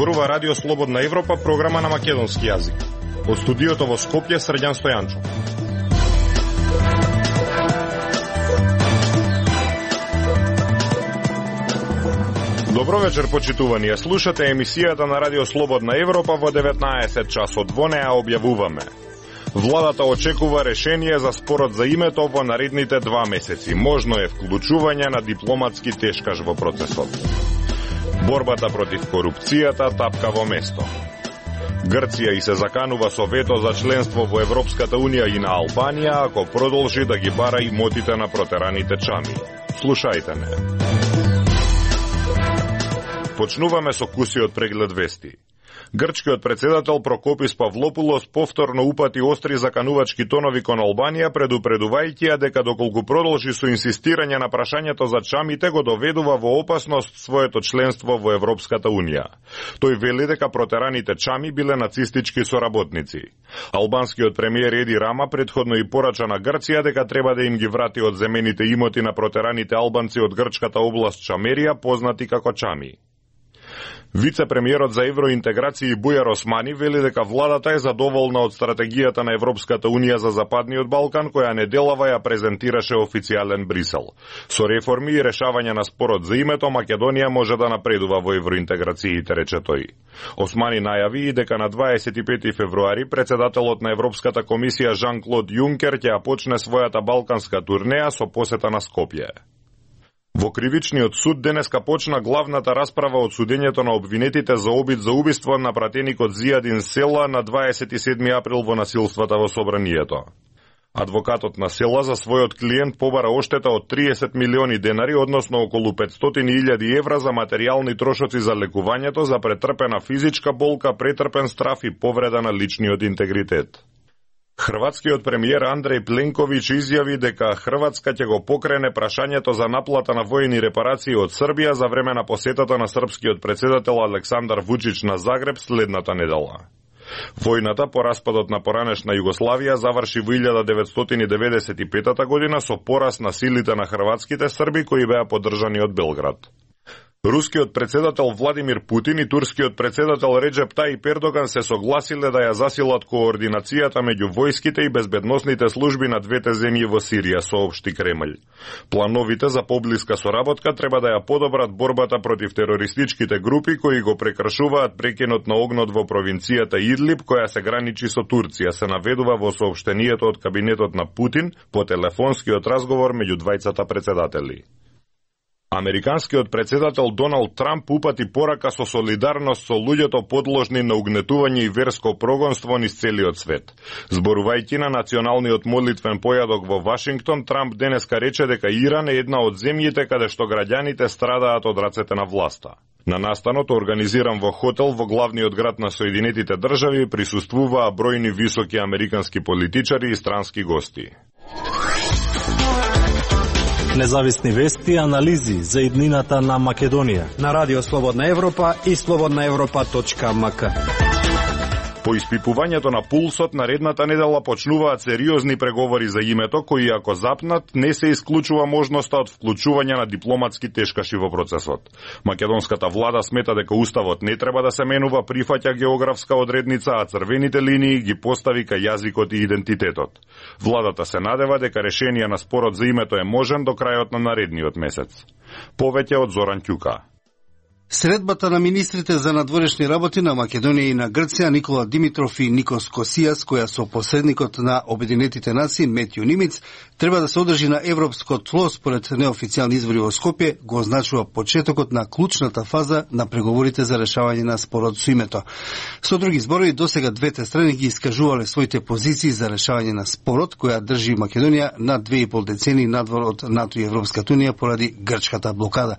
зборува Радио Слободна Европа, програма на македонски јазик. Од студиото во Скопје, Срđan Стојанчов. Добро вечер, почитувани. Слушате емисијата на Радио Слободна Европа во 19 часот. Во неа објавуваме: владата очекува решение за спорот за името во наредните 2 месеци. Можно е вклучување на дипломатски тешкаш во процесот. Борбата против корупцијата тапка во место. Грција и се заканува со вето за членство во Европската Унија и на Албанија ако продолжи да ги бара имотите на протераните чами. Слушајте не. Почнуваме со кусиот преглед вести. Грчкиот председател Прокопис Павлопулос повторно упати остри заканувачки тонови кон Албанија, предупредувајќи ја дека доколку продолжи со инсистирање на прашањето за чамите, го доведува во опасност своето членство во Европската Унија. Тој вели дека протераните чами биле нацистички соработници. Албанскиот премиер Еди Рама предходно и порача на Грција дека треба да им ги врати одземените имоти на протераните албанци од грчката област Чамерија, познати како чами. Вице-премиерот за евроинтеграција Бујар Османи вели дека владата е задоволна од стратегијата на Европската Унија за Западниот Балкан, која неделава ја презентираше официјален Брисел. Со реформи и решавање на спорот за името, Македонија може да напредува во евроинтеграциите, рече тој. Османи најави и дека на 25 февруари председателот на Европската комисија Жан-Клод Јункер ќе ја почне својата балканска турнеја со посета на Скопје. Во кривичниот суд денеска почна главната расправа од судењето на обвинетите за обид за убиство на пратеникот Зијадин Села на 27 април во насилствата во собранието. Адвокатот на Села за својот клиент побара оштета од 30 милиони денари, односно околу 500.000 евра за материјални трошоци за лекувањето, за претрпена физичка болка, претрпен страф и повреда на личниот интегритет. Хрватскиот премиер Андреј Пленковиќ изјави дека Хрватска ќе го покрене прашањето за наплата на војни репарации од Србија за време на посетата на српскиот председател Александар Вучич на Загреб следната недела. Војната по распадот на поранешна Југославија заврши во 1995 година со порас на силите на хрватските срби кои беа поддржани од Белград. Рускиот председател Владимир Путин и турскиот председател Реджеп Тајип Ердоган се согласиле да ја засилат координацијата меѓу војските и безбедносните служби на двете земји во Сирија, соопшти Кремљ. Плановите за поблиска соработка треба да ја подобрат борбата против терористичките групи кои го прекршуваат прекинот на огнот во провинцијата Идлиб, која се граничи со Турција, се наведува во соопштението од кабинетот на Путин по телефонскиот разговор меѓу двајцата председатели. Американскиот председател Доналд Трамп упати порака со солидарност со луѓето подложни на угнетување и верско прогонство низ целиот свет. Зборувајќи на националниот молитвен појадок во Вашингтон, Трамп денеска рече дека Иран е една од земјите каде што граѓаните страдаат од рацете на власта. На настанот, организиран во хотел во главниот град на Соединетите држави, присуствуваа бројни високи американски политичари и странски гости. Независни вести и анализи за иднината на Македонија на Радио Слободна Европа и slobodnaevropa.mk. По испипувањето на пулсот, наредната недела почнуваат сериозни преговори за името, кои ако запнат, не се исклучува можноста од вклучување на дипломатски тешкаши во процесот. Македонската влада смета дека уставот не треба да се менува, прифаќа географска одредница, а црвените линии ги постави кај јазикот и идентитетот. Владата се надева дека решение на спорот за името е можен до крајот на наредниот месец. Повеќе од Зоран Ќука. Средбата на министрите за надворешни работи на Македонија и на Грција Никола Димитров и Никос Косијас, која со посредникот на Обединетите нации Метју Нимиц треба да се одржи на европско тло според неофицијални извори во Скопје, го означува почетокот на клучната фаза на преговорите за решавање на спорот со името. Со други зборови, досега двете страни ги искажувале своите позиции за решавање на спорот, која држи Македонија на 2,5 децени надвор од НАТО и Европската Унија поради грчката блокада.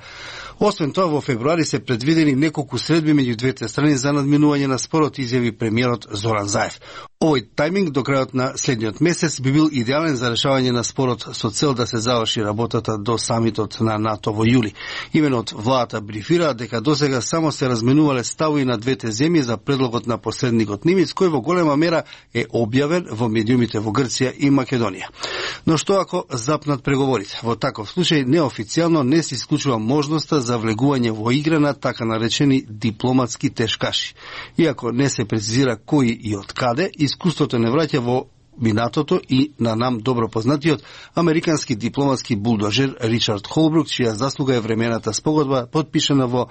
Освен тоа, во февруари се предвидени неколку средби меѓу двете страни за надминување на спорот, изјави премиерот Зоран Заев. Овој тајминг до крајот на следниот месец би бил идеален за решавање на спорот со цел да се заврши работата до самитот на НАТО во јули. Имено од владата брифира дека досега само се разменувале ставови на двете земји за предлогот на посредникот Нимиц, кој во голема мера е објавен во медиумите во Грција и Македонија. Но што ако запнат преговорите? Во таков случај неофицијално не се исклучува можноста за влегување во игра на така наречени дипломатски тешкаши. Иако не се прецизира кои и од каде, искуството не враќа во минатото и на нам добро познатиот американски дипломатски булдожер Ричард Холбрук, чија заслуга е времената спогодба подпишана во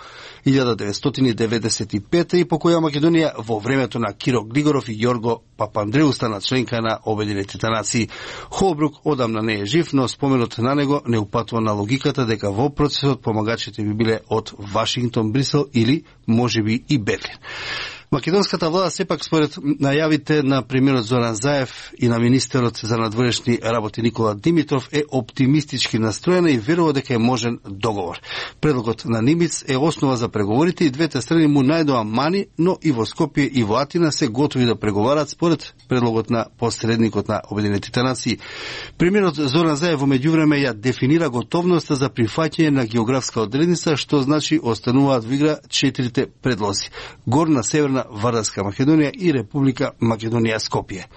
1995 и по која Македонија во времето на Киро Григоров и Јорго Папандреу стана членка на Обединетите нации. Холбрук одамна не е жив, но споменот на него не упатува на логиката дека во процесот помагачите би биле од Вашингтон, Брисел или можеби и Берлин. Македонската влада сепак според најавите на премиерот Зоран Заев и на министерот за надворешни работи Никола Димитров е оптимистички настроена и верува дека е можен договор. Предлогот на Нимиц е основа за преговорите и двете страни му најдоа мани, но и во Скопје и во Атина се готови да преговарат според предлогот на посредникот на Обединетите нации. Премиерот Зоран Заев во меѓувреме ја дефинира готовноста за прифаќање на географска одредница, што значи остануваат во игра 4 предлози: Горна, Северна, Вардарска Македонија и Република Македонија Скопје.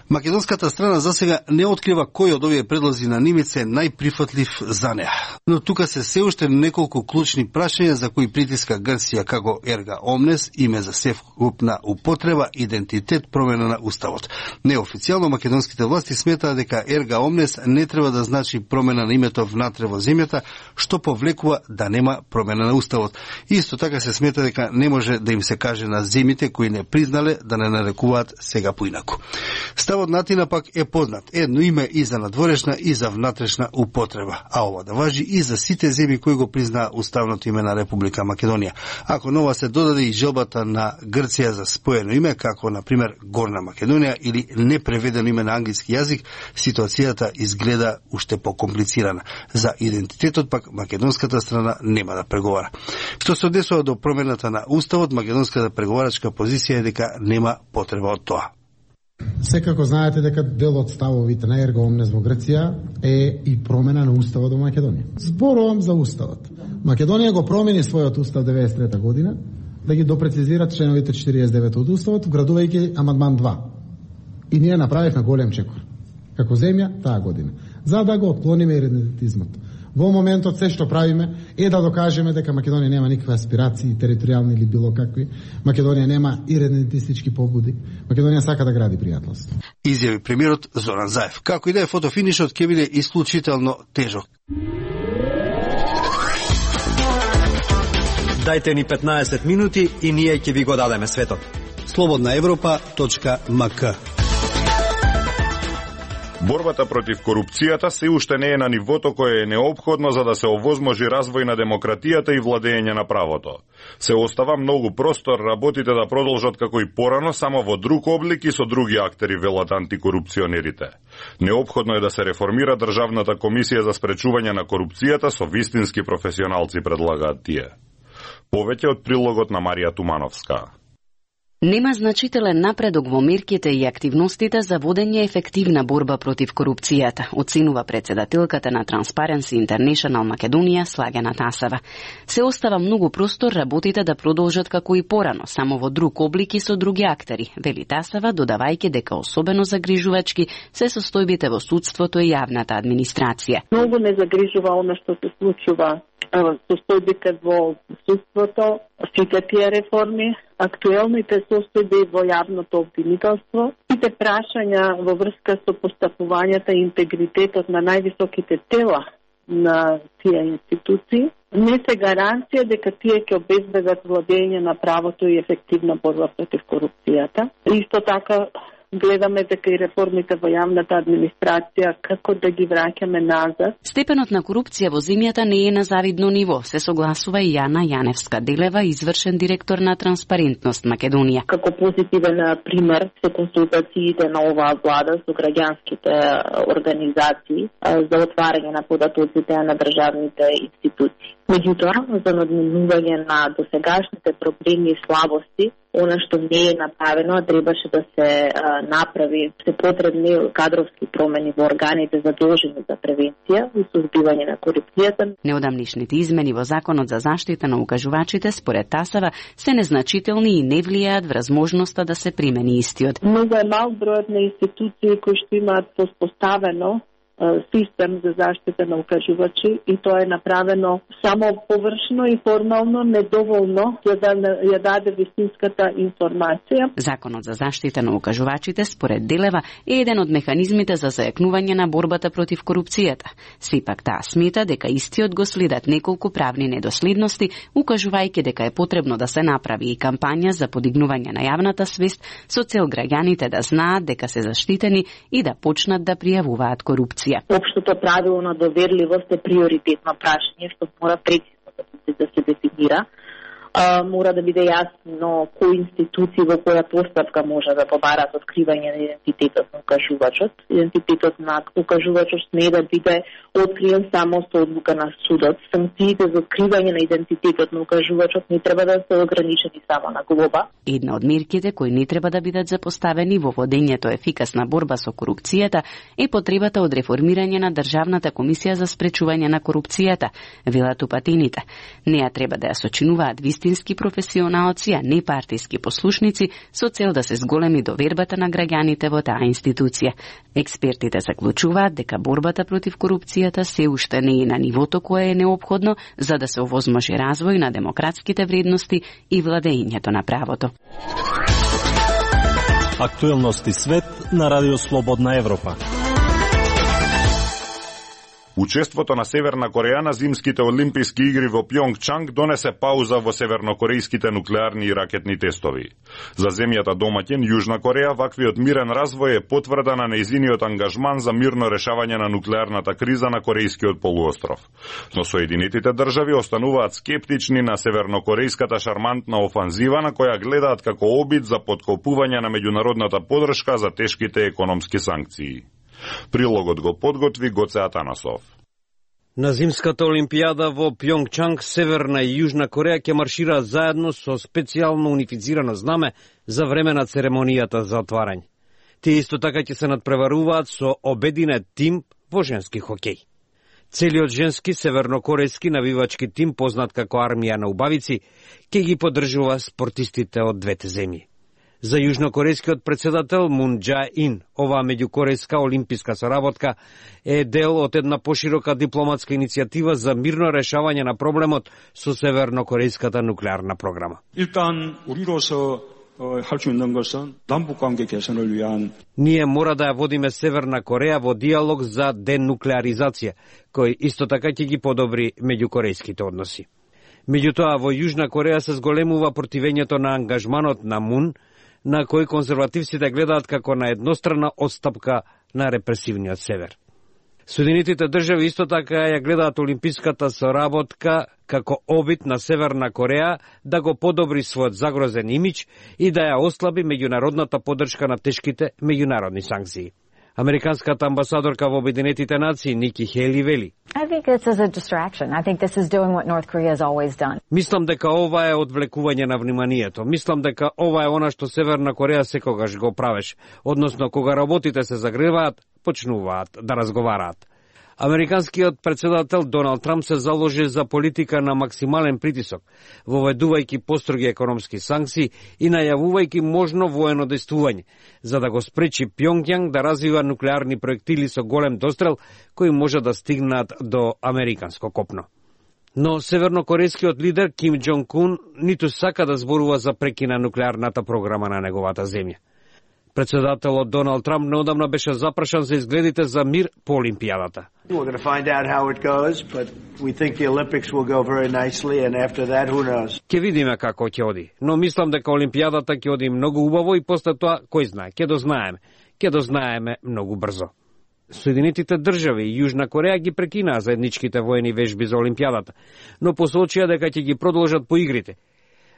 Македонската страна засега не открива кој од овие предлози на Нимиц е најприфатлив за неа. Но тука се уште неколку клучни прашања за кои притиска Грција, како ерга омнес, име за севкупна употреба, идентитет, промена на уставот. Неофицијално македонските власти сметаат дека ерга омнес не треба да значи промена на името внатре во земјата, што повлекува да нема промена на уставот. Исто така се смета дека не може да им се каже на земите кои не признале да не нарекуваат сега поинаку. Ставот на Атина пак е познат. Едно име и за надворешна и за внатрешна употреба, а ова да важи и за сите земји кои го признаа уставното име на Република Македонија. Ако нова се додаде и желбата на Грција за споено име, како на пример Горна Македонија или непреведено име на англиски јазик, ситуацијата изгледа уште покомплицирана. За идентитетот пак македонската страна нема да преговара. Што се однесува до промената на уставот, македонската преговарачка позиција е дека нема потреба од тоа. Секако знаете дека дел од ставовите на ерга омнес во Грција е и промена на уставот во Македонија. Зборувам за уставот. Македонија го промени својот устав 93 година да ги допрецизира членовите 49 од уставот, вградувајќи амандман 2. И ние направивме голем чекор како земја таа година, за да го отклониме идентитизмот. Во моментот се што правиме е да докажеме дека Македонија нема никакви аспирации, територијални или било какви. Македонија нема идентитистички побуди. Македонија сака да гради пријателство. Изјави премиерот Зоран Заев. Како и да е, фотофинишот ќе биде исклучително тежок. Дајте ни 15 минути и ние ќе ви го дадеме светот. slobodnaevropa.mk. Борбата против корупцијата се уште не е на нивото кое е неопходно за да се овозможи развој на демократијата и владење на правото. Се остава многу простор работите да продолжат како и порано, само во друг облик и со други актери, велат антикорупционерите. Неопходно е да се реформира Државната комисија за спречување на корупцијата со вистински професионалци, предлагаат тие. Повеќе од прилогот на Марија Тумановска. Нема значителен напредок во мерките и активностите за водење ефективна борба против корупцијата, оценува председателката на Transparency International Македонија Слагена Тасева. Се остава многу простор работите да продолжат како и порано, само во друг облик и со други актери, вели Тасева, додавајќи дека особено загрижувачки се состојбите во судството и јавната администрација. Многу ме загрижува она што се случува состојбите во судството, сите тие реформи, актуелните состојби во јавното обвинителство, сите прашања во врска со постапувањата и интегритетот на највисоките тела на тие институции, не се гаранција дека тие ќе обезбедат владење на правото и ефективна борба против корупцијата. Исто така гледаме дека и реформите во јавната администрација како да ги враќаме назад. Степенот на корупција во земјата не е на завидно ниво, се согласува и Јана Јаневска-Делева, извршен директор на Транспарентност Македонија. Како позитивен пример се консултациите на оваа влада со граѓанските организации за отварање на податоците на државните институции. Меѓутоа, за надминување на досегашните проблеми и слабости, она што не е направено, а требаше да се направи, се потребни кадровски промени во органите задолжени за превенција и сузбивање на корупцијата. Неодамнишните измени во Законот за заштита на укажувачите според Тасава се незначителни и не влијаат врз можноста да се примени истиот. Многу е мал бројот на институции кои што имаат воспоставено систем за заштита на укажувачи и тоа е направено само површно и формално, недоволно за да ја даде вистинската информација. Законот за заштита на укажувачите според Делева е еден од механизмите за зајакнување на борбата против корупцијата. Сепак таа смета дека истиот го следат неколку правни недоследности, укажувајќи дека е потребно да се направи и кампања за подигнување на јавната свест со цел граѓаните да знаат дека се заштитени и да почнат да пријавуваат корупција. Општото правило на доверливост е приоритетно прашање што мора прецизно да се дефинира. Мора да биде јасно кои институции во која постапка може да побарат откривање на идентитетот на укажувачот. Идентитетот на укажувачот не да биде откриен само со одлука на судот. Санкциите за откривање на идентитетот на укажувачот не треба да се ограничени само на глоба. Една од мерките кои не треба да бидат запоставени во водењето ефикасна борба со корупцијата е потребата од реформирање на Државната комисија за спречување на корупцијата, велат упатените. Неа треба да ја сочинуваат вистински професионалци, а не партиски послушници, со цел да се зголеми довербата на граѓаните во таа институција. Експертите заклучуваат дека борбата против корупцијата се уште не е на нивото кое е неопходно за да се овозможи развој на демократските вредности и владењето на правото. Актуелности свет на Радио Слободна Европа. Учеството на Северна Кореја на зимските олимписки игри во Пјонгчанг донесе пауза во севернокорејските нуклеарни и ракетни тестови. За земјата домаќин Јужна Кореја ваквиот мирен развој е потврда на нејзиниот ангажман за мирно решавање на нуклеарната криза на Корејскиот полуостров. Но Соединетите држави остануваат скептични на севернокорејската шармантна офанзива на која гледаат како обид за поткопување на меѓународната поддршка за тешките економски санкции. Прилогот го подготви Гоце Атанасов. На зимската олимпијада во Пјонгчанг, Северна и Јужна Кореја ќе маршираат заедно со специјално унифицирано знаме за време на церемонијата за отварање. Тие исто така ќе се надпреваруваат со обединет тим во женски хокеј. Целиот женски севернокорејски навивачки тим, познат како армија на убавици, ќе ги поддржува спортистите од двете земји. За јужнокорејскиот председател Мун Џаe-ин, оваа меѓукорејска олимписка соработка е дел од една поширока дипломатска иницијатива за мирно решавање на проблемот со севернокорејската нуклеарна програма. 일단 우리로서 할 수 있는 것은 남북 관계 개선을 위한 Ние мора да ја водиме Северна Кореја во диалог за денуклеаризација, кој исто така ќе ги подобри меѓукорејските односи. Меѓутоа, во Јужна Кореја се зголемува противењето на ангажманот на Мун, на кој конзервативците гледаат како на еднострана отстапка на репресивниот север. Соединетите држави исто така ја гледаат олимписката соработка како обид на Северна Кореја да го подобри својот загрозен имидж и да ја ослаби меѓународната поддршка на тешките меѓународни санкции. Американската амбасадорка во Обединетите нации Ники Хели вели: Мислам дека ова е одвлекување на вниманието. Мислам дека ова е она што Северна Кореја секогаш го правеше, односно кога работите се загреваат, почнуваат да разговараат. Американскиот председател Доналд Трамп се заложи за политика на максимален притисок, воведувајќи построги економски санкции и најавувајќи можно воено дејствување, за да го спречи Пјонгјанг да развива нуклеарни проектили со голем дострел кои може да стигнат до американско копно. Но севернокорејскиот лидер Ким Џонг Ун ниту сака да зборува за прекина нуклеарната програма на неговата земја. Председателот Доналд Трамп неодамна беше запрашан за изгледите за мир по Олимпијадата. Ќе видиме како ќе оди, но мислам дека Олимпијадата ќе оди многу убаво и после тоа, кој знае, ќе дознаеме многу брзо. Соединетите држави и Јужна Кореја ги прекинаа заедничките воени вежби за Олимпијадата, но посочија дека ќе ги продолжат по игрите.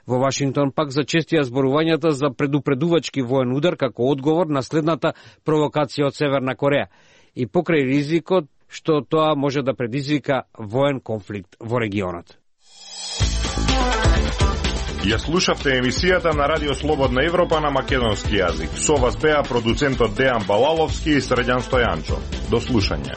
Во Вашингтон пак зачестија зборувањата за предупредувачки воен удар како одговор на следната провокација од Северна Кореја и покрај ризикот што тоа може да предизвика воен конфликт во регионот. Ја слушавте емисијата на Радио Слободна Европа на македонски јазик. Со вас беа продуцентот Дејан Балаловски и Средјан Стојанчо. До слушање.